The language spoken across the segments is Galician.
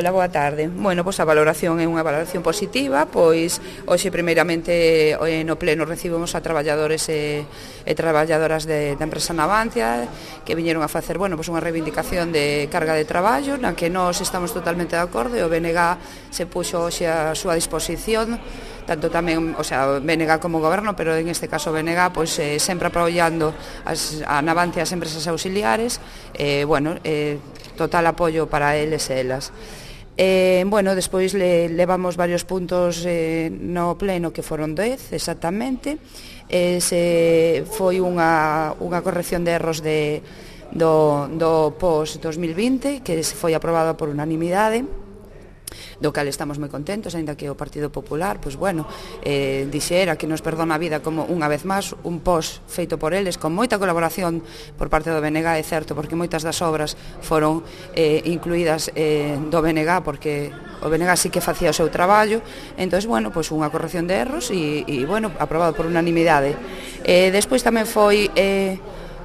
Hola, boa tarde. Bueno, pois a valoración é unha valoración positiva, pois hoxe primeiramente no pleno recibimos a traballadores e traballadoras da empresa Navantia que viñeron a facer, bueno, pois unha reivindicación de carga de traballo na que nós estamos totalmente de acordo e o BNG se puxo hoxe a súa disposición, tanto tamén, o sea, BNG como goberno, pero en este caso BNG, pois sempre apoiando a Navantia as empresas auxiliares, bueno, total apoio para eles e elas. Bueno, despois levamos varios puntos no pleno que foron 10 exactamente. Foi unha corrección de erros do POS 2020 que se foi aprobado por unanimidade, do cal estamos moi contentos, aínda que o Partido Popular, pois bueno, dixera que nos perdona a vida como unha vez máis un POS feito por eles, con moita colaboración por parte do BNG, é certo, porque moitas das obras foron incluídas do BNG, porque o BNG sí que facía o seu traballo. Entón, bueno, pois unha corrección de erros e bueno, aprobado por unanimidade. Despois tamén foi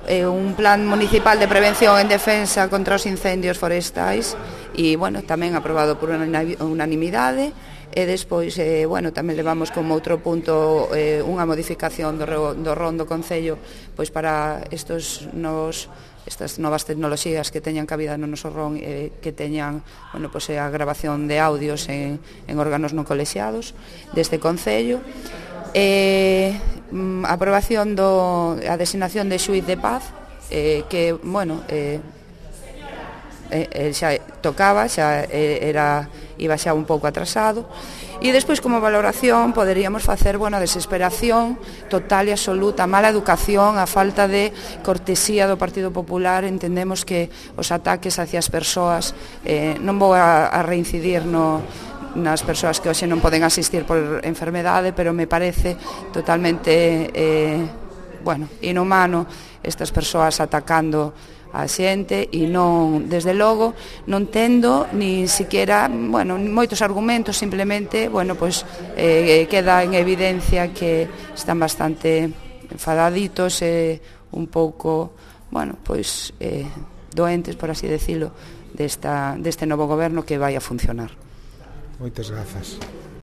un plan municipal de prevención en defensa contra os incendios forestais e, bueno, tamén aprobado por unanimidade. E despois, bueno, tamén levamos como outro punto unha modificación do RON do Concello, pois para estas novas tecnoloxías que teñan cabida no noso RON, que teñan, bueno, pois a grabación de audios en órganos non colexiados deste Concello. Aprobación a designación de xuíz de paz, que, bueno, xa tocaba, xa iba xa un pouco atrasado. E despois, como valoración, poderíamos facer, bueno, a desesperación total e absoluta, a mala educación, a falta de cortesía do Partido Popular. Entendemos que os ataques hacia as persoas, non vou a reincidir nas persoas que hoxe non poden asistir por enfermedade, pero me parece totalmente bueno, inhumano estas persoas atacando a xente e non, desde logo, non tendo ni siquiera, bueno, moitos argumentos, simplemente, bueno, pois queda en evidencia que están bastante enfadaditos e un pouco, bueno, pois doentes, por así decirlo, deste novo goberno que vai a funcionar. Moitas grazas.